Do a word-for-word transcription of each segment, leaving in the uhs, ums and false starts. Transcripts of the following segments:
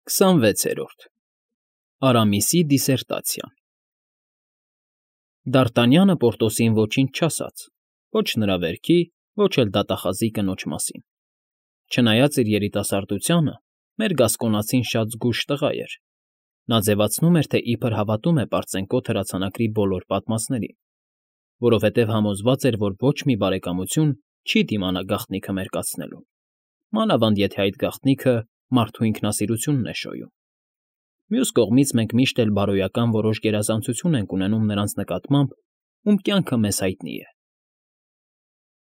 քսանվեցերորդ ԱՐԱՄԻՍԻ դիսերտացիան Դ'ԱՐՏԱՆՅԱՆԸ Պորտոսին ոչինչ չասաց, ոչ նրա վերքի, ոչ էլ դատախազի կնոջ մասին. չնայած իր երիտասարդությանը, մեր գասկոնացին շատ զգույշ տղա էր. նա ձևացնում էր, թե իբր հավատում է պարծենկոտ հրացանակրի բոլոր պատմածներին, որովհետև համոզված էր, որ ոչ մի բարեկամություն չի դիմանա գաղտնիքը մերկացնելուն, մանավանդ եթե այդ գաղտնիքը մարդու ինքնասիրությունն է շոյում։ Մյուս կողմից մենք միշտ էլ բարոյական որոշ գերազանցություն ենք ունենում նրանց նկատմամբ, ում կյանքը մեզ հայտնի է։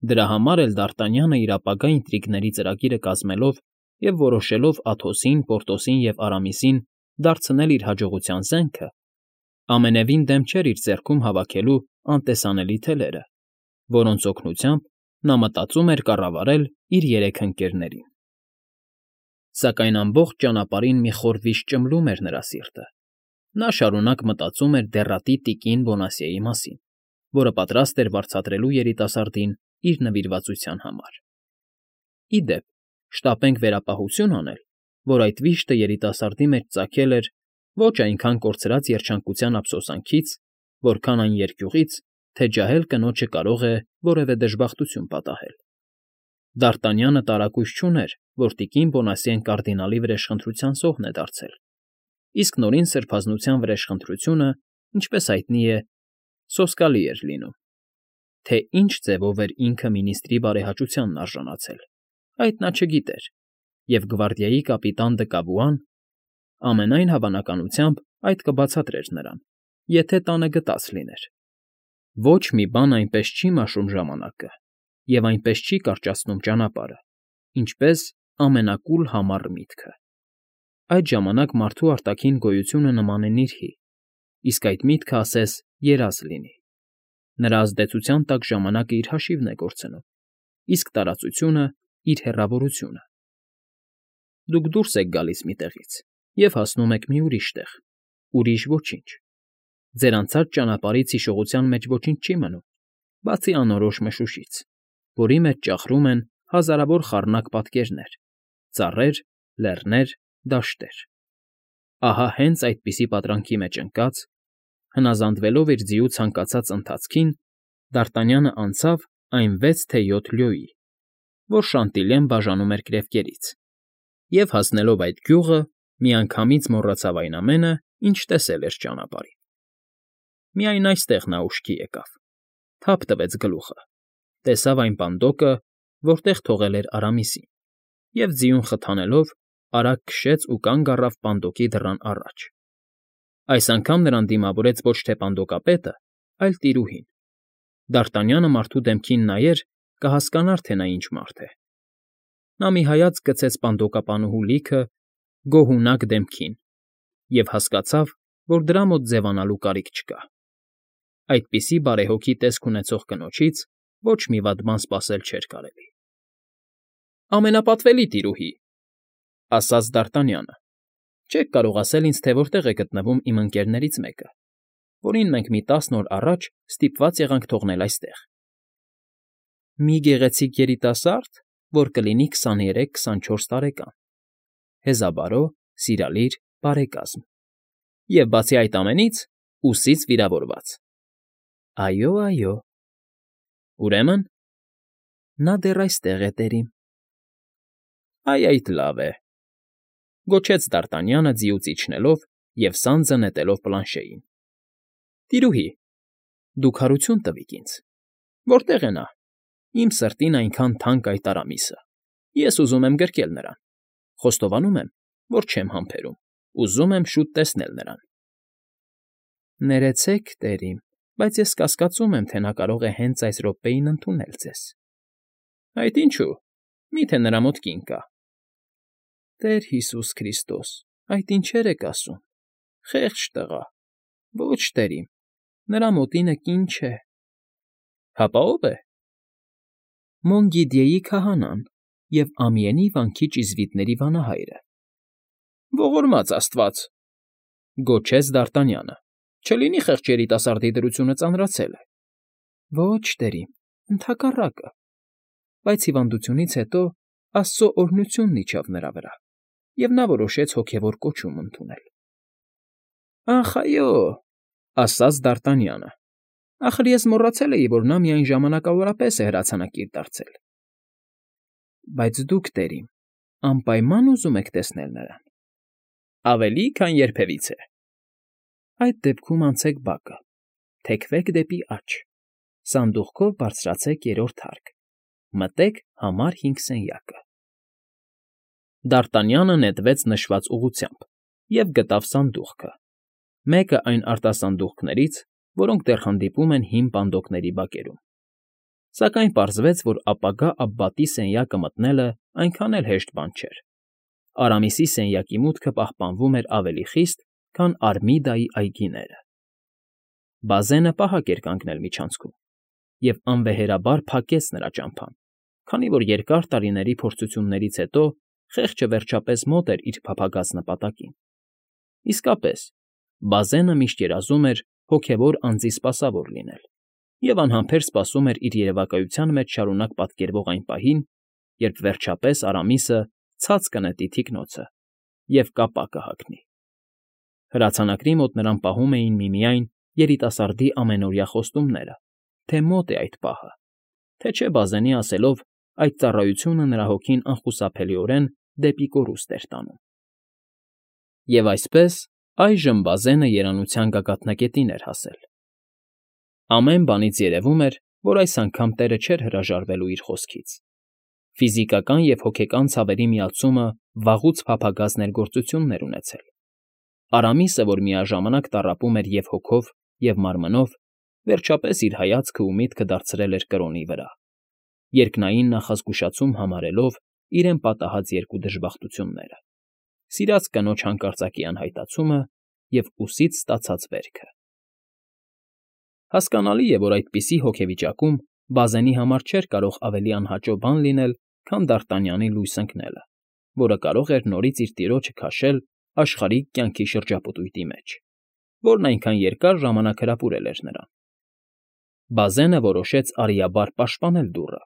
Դրա համար էլ Դ'ԱՐՏԱՆՅԱՆը իր ապագա ինտրիգների ծրագիրը կազմելով և որոշելով Աթոսին, Պորտոսին և Արամիսին դարձնել իր հաջողության զենքը, ամենևին դեմ չէր իր ձեռքում հավաքելու անտեսանելի թելերը, որոնց օգնությամբ նա մտածում էր կառավարել իր երեք ընկերներին։ Սակայն ամբողջ ճանապարհին մի խոր վիշտ ճմլում էր նրա սիրտը. նա շարունակ մտածում էր դեռատի տիկին Բոնասիեի մասին, որը պատրաստ էր վարձատրելու երիտասարդին իր նվիրվածության համար։ Ի դեպ, շտապենք վերապահություն անել, որ այդ վիշտը երիտասարդի մեջ ծագել էր ոչ այնքան կորցրած երջանկության ափսոսանքից, որքան այն երկյուղից, թե ջահել կնոջը կարող է որևէ դժբախտություն պատահել։ Դ'ԱՐՏԱՆՅԱՆը տարակույս չուներ, որ տիկին Բոնասիեն կարդինալի վրեժխնդրության զոհն է դարձել, իսկ նորին սրբազնության վրեժխնդրությունը, ինչպես հայտնի է, սոսկալի էր լինում։ Թե ինչ ձևով էր ինքը մինիստրի բարեհաճությանն արժանացել, այդ նա չգիտեր, և գվարդիայի կապիտան Դը Կավուան ամենայն հավանականությամբ այդ կբացատրեր նրան, եթե տանը գտած լիներ։ Ոչ մի բան այնպես չի մաշում ժամանակը և այնպես չի կարճացնում ճանապարհը, ինչպես ամենակուլ համառ միտքը։ Այդ ժամանակ մարդու արտաքին գոյությունը նման է նիրհի, իսկ այդ միտքը ասես երազ լինի. նրա ազդեցության տակ ժամանակը իր հաշիվն է կորցնում, իսկ տարածությունը՝ իր հեռավորությունը։ Դուք դուրս եք գալիս մի տեղից և հասնում եք մի ուրիշ տեղ, ուրիշ ոչինչ. ձեր անցած ճանապարհից հիշողության մեջ ոչինչ չի մնում, բացի անորոշ մշուշից, որի մեջ ճախրում են հազարավոր խառնակ պատկերներ՝ ծառեր, լեռներ, դաշտեր։ Ահա հենց այդպիսի պատրանքի մեջ ընկած, հնազանդվելով իր ձիու ցանկացած ընթացքին, Դ'ԱՐՏԱՆՅԱՆը անցավ այն վեց թե յոթ լյոյի, որ Շանտիլյեն բաժանում էր կրևկերից, և, հասնելով այդ գյուղը, միանգամից մոռացավ այն ամենը, ինչ տեսել էր ճանապարհին։ Միայն այստեղ նա ուշքի եկավ, թափ տվեց գլուխը, տեսավ այն պանդոկը, որտեղ թողել էր Արամիսին, և ձիուն խթանելով արագ քշեց ու կանգ առավ պանդոկի դռան առաջ։ Այս անգամ նրան դիմավորեց ոչ թե պանդոկապետը, այլ տիրուհին։ Դ'ԱՐՏԱՆՅԱՆը մարդու դեմքին նայեր, կհասկանար, թե նա ինչ մարդ է։ Նա մի հայացք գցեց պանդոկապանուհու լիքը, գոհունակ դեմքին և հասկացավ, որ դրա մոտ ձևանալու կարիք չկա։ Այդպիսի բարեհոգի տեսք ունեցող կնոջից ոչ մի վատ բան սպասել չէր կարելի։ Ամենապատվելի տիրուհի, ֊ ասաց Դ'ԱՐՏԱՆՅԱՆը, ֊ չեք կարող ասել ինձ, թե որտեղ է գտնվում իմ ընկերներից մեկը, որին մենք մի տասն օր առաջ ստիպված եղանք թողնել այստեղ։ Մի գեղեցիկ երիտասա՞րդ, որ կլինի քսաներեք֊քսանչորս տարեկան, հեզաբարո, սիրալիր, բարեկազմ, և բացի այդ ամենից, ուսից վիրավորված։ Այո, այո։ Ուրեմն, նա դեռ այստեղ է, տերին։ Այ այդ լավ է, ֊ գոչեց Դ'ԱՐՏԱՆՅԱՆը ձիուց իջնելով և սանձը նետելով պլանշեին։ Տիրուհի, դուք հարություն տվիք ինձ, որտե՞ղ է նա, իմ սրտին այնքան թանկ այդ Արամիսը, ես ուզում եմ գրկել նրան, խոստովանում եմ, որ չեմ համբերում, ուզում եմ շուտ տեսնել նրան։ Ներեցեք, տերին, բայց ես կասկածում եմ, թե նա կարող է հենց այս րոպեին ընդունել ձեզ։ Այդ ինչու՞, մի՞թե նրա մոտ կին կա։ Տեր Հիսուս Քրիստոս, այդ ինչեր եք ասում, խեղճ տղա, ոչ, տերին, նրա մոտինը կին չէ։ Հապա ո՞վ է։ Մոնգիդյեի քահանան և Ամիենի վանքի ճիզվիտների վանահայրը։ Ողորմած աստված, ֊ գոչեց Դ'ԱՐՏԱՆՅԱՆը, չլինի խեղճ երիտասարդի դրությունը ծանրացել է։ Ոչ, տերին, ընդհակառակը, բայց հիվանդությունից հետո Աստծո օրհնությունն իջավ նրա վրա, և նա որոշեց հոգևոր կոչում ընդունել։ ֊ Ախ, այո,֊ ասաց Դարտանյանը։֊ Ախր ես մոռացել էի, որ նա միայն ժամանակավորապես է հրացանակիր դարձել։ ֊ Բայց դուք, տերիմ, անպայման ուզում եք տեսնել նրան։ ֊ Ավելի, քան երբևիցե։ ֊ Այդ դեպքում անցեք բակը, թեքվեք դեպի աջ, սանդուղքով բարձրացեք երրորդ հարկ, մտեք համար հինգ սենյակը… Դարտանյանը նետվեց նշված ուղղությամբ և գտավ սանդուղքը, մեկը այն արտասանդուղքներից, որոնք դեռ հանդիպում են հին պանդոկների բակերում, սակայն պարզվեց, որ ապագա Աբբատի սենյակը մտնելն այնքան էլ հեշտ բան չէր. Արամիսի սենյակի մուտքը պահպանվում էր ավելի խիստ, քան Արմիդայի այգիները։ Բազենը պահակ էր կանգնել միջանցքում և անվեհերաբար փակեց նրա ճամփան, քանի որ երկար տարիների փորձություններից հետո խեղճը վերջապես մոտ էր իր փափագած նպատակին։ Իսկապես, բազենը միշտ երազում էր հոգևոր անձի սպասավոր լինել և անհամբեր սպասում էր իր երևակայության մեջ շարունակ պատկերվող այն պահին, երբ վերջապես Արամիսը ցած կնետի թիկնոցը և կապա կհագնի։ Հրացանակրի մոտ նրան պահում էին միմիայն երիտասարդի ամենօրյա խոստումները, թե մոտ է այդ պահը, թե չէ բազենի ասելով, այդ ծառայությունը նրա հոգին անխուսափելիորեն դեպի կորուստ էր տանում։ Եվ այսպես, այժմ բազենը երանության գագաթնակետին էր հասել։ Ամեն բանից երևում էր, որ այս անգամ տեղը չէր հրաժարվելու իր խոսքից։ Ֆիզիկական և հոգեկան ցավերի միացումը վաղուց փափագած ներգործություն էր ունեցել։ Արամիսը, որ միաժամանակ տառապում էր և հոգով, և մարմնով, վերջապես իր հայացքն ու միտքը դարձրել էր կրոնի վրա, երկնային նախազգուշացում համարելով իրեն պատահած երկու դժբախտությունները՝ սիրած կնոջ հանկարծակի անհայտացումը և ուսից ստացած վերքը։ Հասկանալի է, որ այդպիսի հոգեվիճակում բազենի համար չէր կարող ավելի անհաճո բան լինել, քան Դարտանյանի լույս ընկնելը, որը կարող էր նորից իր տիրոջը քաշել աշխարհիկ կյանքի շրջապտույտի մեջ, որն այնքան երկար ժամանակ հրապուրել էր նրան։ Բազենը որոշեց արիաբար պաշտպանել դուռը,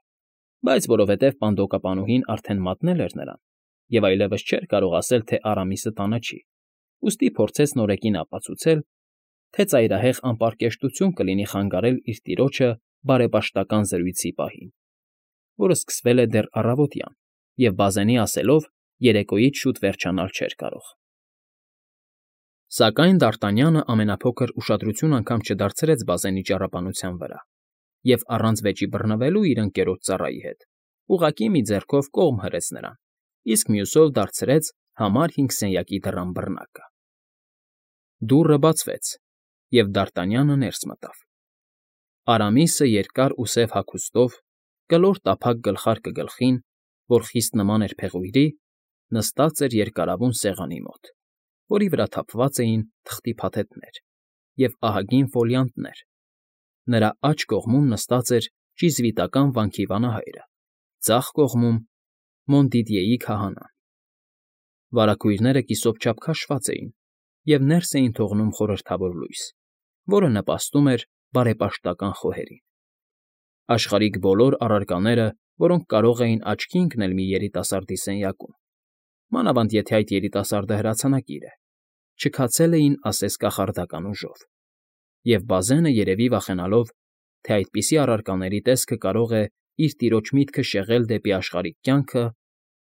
բայց որովհետև պանդոկապանուհին արդեն մատնել էր նրան և այլևս չէր կարող ասել, թե Արամիսը տանը չի, ուստի փորձեց նորեկին ապացուցել, թե ծայրահեղ անպարկեշտություն կլինի խանգարել իր տիրոջը բարեպաշտական զրույցի պահին, որը սկսվել է դեռ առավոտյան և, բազենի ասելով, երեկոյից շուտ վերջանալ չէր կարող։ Սակայն Դարտանյանը ամենափոքր ուշադրություն անգամ չդարձրեց բազենի ճառապանության վրա և առանց վեճի բռնվելու իր ընկերոջ ծառայի հետ, ուղղակի մի ձեռքով կողմ հրեց նրան, իսկ մյուսով դարձրեց համար հինգ սենյակի դռան բռնակը։ Դուռը բացվեց, և Դարտանյանը ներս մտավ։ Արամիսը երկար ու սև հագուստով, կլոր տափակ գլխարկը գլխին, որ խիստ նման էր փեղույրի, նստած էր երկարավուն սեղանի մոտ, որի վրա թափված էին թղթի փաթեթներ և ահագին ֆոլիանտներ, նրա աջ կողմում նստած էր ճիզվիտական վանքի վանահայրը, ձախ կողմում՝ Մոնդիդյեի քահանան։ Վարագույրները կիսոպչափ քաշված էին և ներս էին թողնում խորհրդավոր լույս, որը նպաստում էր բարեպաշտական խոհերին։ Աշխարհիկ բոլոր առարկաները, որոնք կարող էին աչքի ընկնել մի երիտասարդի սենյակում, մանավանդ եթե այդ երիտասարդը հրացանակիր է, չքացել էին ասես կախարդական ուժով, և բազենը, երևի վախենալով, թե այդպիսի առարկաների տեսքը կարող է իր տիրոջ միտքը շեղել դեպի աշխարհիկ կյանքը,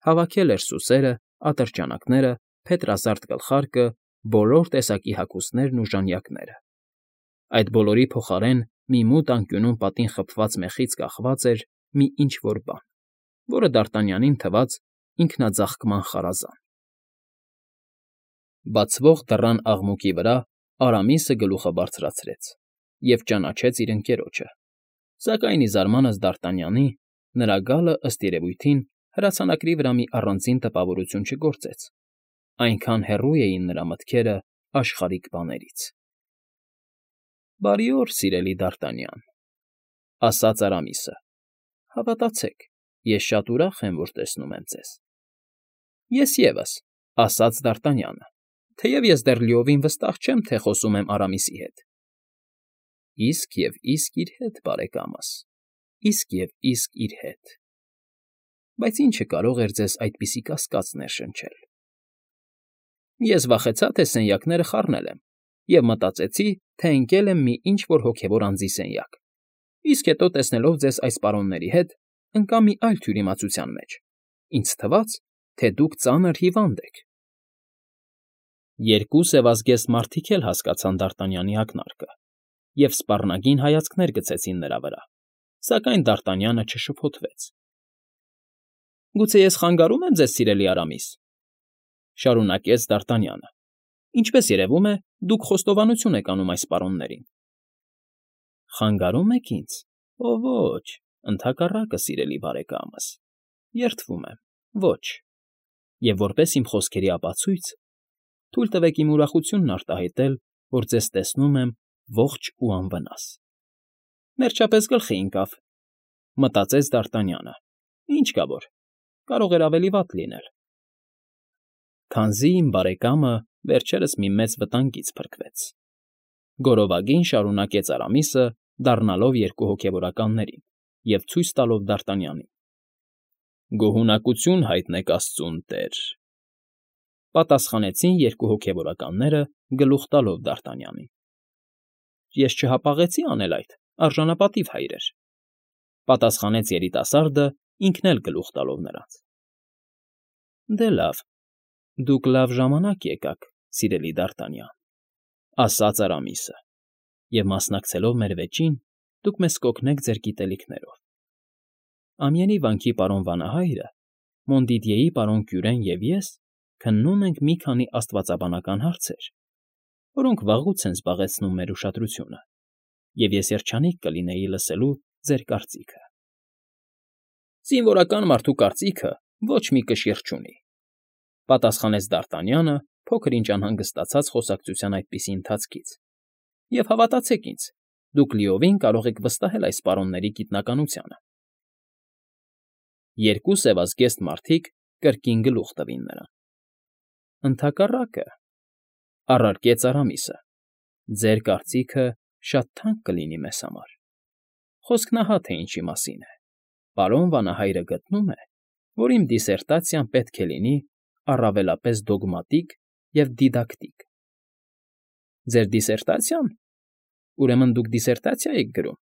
հավաքել էր սուսերը, ատրճանակները, փետրազարդ գլխարկը, բոլոր տեսակի հագուստներն ու ժանյակները։ Այդ բոլորի փոխարեն մի մութ անկյունում պատին խփված մեխից կախված էր մի ինչ֊որ բան, որը Դարտանյանին թվաց ինքնաձաղկման խարազան։ Բացվող դռան աղմուկի վրա Արամիսը գլուխը բարձրացրեց և ճանաչեց իր ընկերոջը, սակայն, ի զարմանք Դարտանյանի, նրա գալը, ըստ երևույթին, հրացանակրի վրա մի առանձին տպավորություն չգործեց, այնքան հեռու էին նրա մտքերը աշխարհիկ բաներից։ ֊ Բարի օր, սիրելի Դարտանյան,֊ ասաց Արամիսը։ Հավատացեք, ես շատ ուրախ եմ, որ տեսնում եմ ձեզ։ ֊ Ես ևս,֊ ասաց Դարտանյանը, թեև ես դեռ լիովին վստահ չեմ, թե խոսում եմ Արամիսի հետ։ ֊ Իսկ և իսկ իր հետ, բարեկամս, իսկ և իսկ իր հետ… Բայց ի՞նչը կարող էր ձեզ այդպիսի կասկած ներշնչել։ Ես վախեցա, թե սենյակները խառնել եմ, և մտածեցի, թե ընկել եմ մի ինչ֊որ հոգևոր անձի սենյակ, իսկ հետո, տեսնելով ձեզ այս պարոնների հետ, ընկա մի այլ թյուրիմացության մեջ. ինձ թվաց, թե դուք ծանր հիվանդ եք։ Երկու սևազգեստ մարդիկ էլ հասկացան Դարտանյանի ակնարկը և սպառնագին հայացքներ գցեցին նրա վրա, սակայն Դարտանյանը չշփոթվեց։ ֊ Գուցե ես խանգարո՞ւմ եմ ձեզ, սիրելի Արամիս,֊ շարունակեց Դարտանյանը։ ֊ Ինչպես երևում է, դուք խոստովանություն եք անում այս պարոններին։ ֊ Խանգարո՞ւմ եք ինձ, օ ոչ, ընդհակառակը, սիրելի բարեկամս, երդվում եմ, ոչ, և որպես իմ խոսքերի ապացույց, թույլ տվեք իմ ուրախությունն արտահայտել, որ ձեզ տեսնում եմ ողջ ու անվնաս։ Վերջապես գլխի ընկավ, մտածեց Դարտանյանը, ինչ կա որ, կարող էր ավելի վատ լինել։ Քանզի իմ բարեկամը վերջերս մի մեծ վտանգից փրկվեց,֊ գոռովագին շարունակեց Արամիսը, դառնալով երկու հոգևորականներին և ցույց տալով Դարտանյանին։ ֊ Գոհունակություն հայտնեք աստծուն, տեր,֊ պատասխանեցին երկու հոգևորականները, գլուխ տալով Դարտանյանին։ ֊ Ես չհապաղեցի անել այդ, արժանապատիվ հայրեր,֊ պատասխանեց երիտասարդը, ինքն էլ գլուխ տալով նրանց։ ֊ Դե լավ, դուք լավ ժամանակ եկաք, սիրելի Դարտանյան,֊ ասաց Արամիսը,֊ և մասնակցելով մեր վեճին, դուք մեզ կօգնեք ձեր գիտելիքներով։ Ամյենի վանքի պարոն վանահայրը, Մոնդիդյեի պարոն Կյուրեն և ես քննում ենք մի քանի աստվածաբանական հարցեր, որոնք վաղուց են զբաղեցնում մեր ուշադրությունը, և ես երջանիկ կլինեի լսելու ձեր կարծիքը։ ֊ Զինվորական մարդու կարծիքը ոչ մի կշիռ չունի,֊ պատասխանեց Դարտանյանը, փոքր֊ինչ անհանգստացած խոսակցության այդպիսի ընթացքից,֊ և հավատացեք ինձ, դուք լիովին կարող եք վստահել այս պարոնների գիտնականությանը։ Երկու սևազգեստ մարդիկ կրկին գլուխ տվին նրան։ ֊ Ընդհակառակը,֊ առարկեց Արամիսը,֊ ձեր կարծիքը շատ թանկ կլինի մեզ համար։ Խոսքն ահա թե ինչի մասին է. պարոն վանահայրը գտնում է, որ իմ դիսերտացիան պետք է լինի առավելապես դոգմատիկ և դիդակտիկ։ ֊ Ձեր դիսերտացիա՞ն, ուրեմն դուք դիսերտացիա եք գրում։ ֊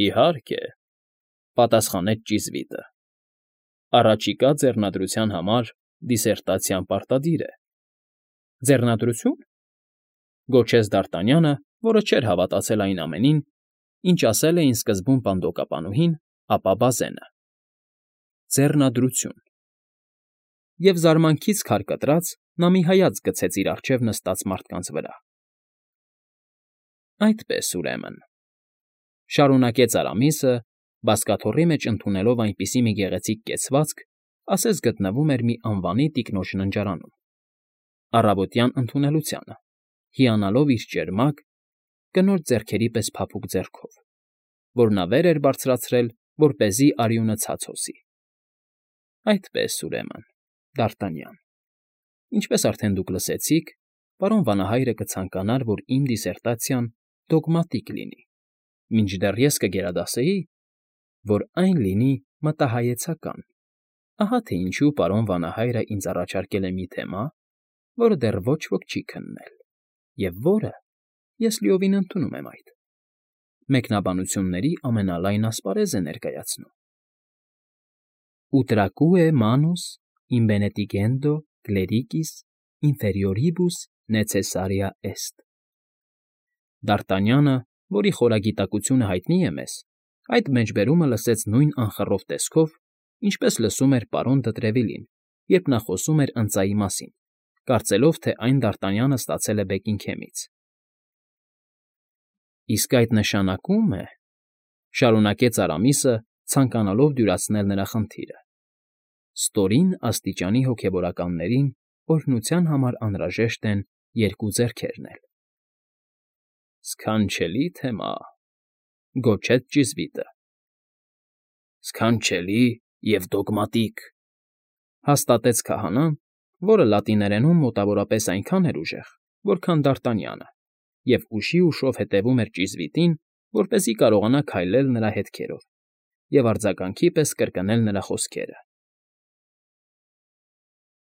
Իհարկե,֊ պատասխանեց ճիզվիտը,֊ առաջիկա ձեռնադրության համար դիսերտացիան պարտադիր է։ ֊ Ձեռնադրությո՞ւն,֊ գոչեց Դարտանյանը, որը չէր հավատացել այն ամենին, ինչ ասել էին սկզբում պանդոկապանուհին, ապա Բազենը։ ֊ Ձեռնադրություն…֊ Եվ զարմանքից քար կտրած նա մի հայացք գցեց իր առջև նստած մարդկանց վրա։ ֊ Այդպես, ուրեմն,֊ շարունակեց Արամիսը, բազկաթոռի մեջ ընդունելով այնպիսի մի գեղեցիկ կեցվածք, ասես գտնվում էր մի անվանի տիկնոջ ննջարանում, առավոտյան ընդունելությանը, հիանալով իր ճերմակ, կնոջ ձեռքերի պես փափուկ ձեռքով, որ նա վեր էր բարձրացրել, որպեսզի արյունը ցած հոսի։ ֊ Այդպես, ուրեմն, Դարտանյան, ինչպես արդեն դուք լսեցիք, պարոն վանահայրը կցանկանար, որ իմ դիսերտացիան դոգմատիկ լինի, մինչդեռ ես կգերադասեի, որ այն լինի մտահայեցական։ Ահա թե ինչու պարոն վանահայրը ինձ առաջարկել է մի թեմա, որը դեռ ոչ ոք չի քննել, և որը, ես լիովին ընդունում եմ այդ, մեկնաբանությունների ամենալայն ասպարեզ է ներկայացնում. Utracue manus imbenetigendo clericis inferioribus necessaria est։ Դարտանյանը, որի խորագիտակությունը հայտնի է մեզ, այդ մեջբերումը լսեց նույն անխռով տեսքով, ինչպես լսում էր պարոն Դտրևիլին, երբ նա խոսում էր ընծայի մասին, կարծելով, թե այն Դարտանյանը ստացել է Բեկինգհեմից։ ֊ Իսկ այդ նշանակում է,֊ շարունակեց Արամիսը, ցանկանալով դյուրացնել նրա խնդիրը,֊ ստորին աստիճանի հոգևորականներին օրհնության համար անհրաժեշտ են երկու ձեռքերն էլ։ ֊ Սքանչելի թեմա,֊ գոչեց ճիզվիտը։ ֊ Սքանչելի և դոգմատիկ,֊ հաստատեց քահանան, որը լատիներենում մոտավորապես այնքան էր ուժեղ, որքան Դարտանյանը, և ուշի֊ուշով հետևում էր ճիզվիտին, որպեսզի կարողանա քայլել նրա հետքերով և արձագանքի պես կրկնել նրա խոսքերը։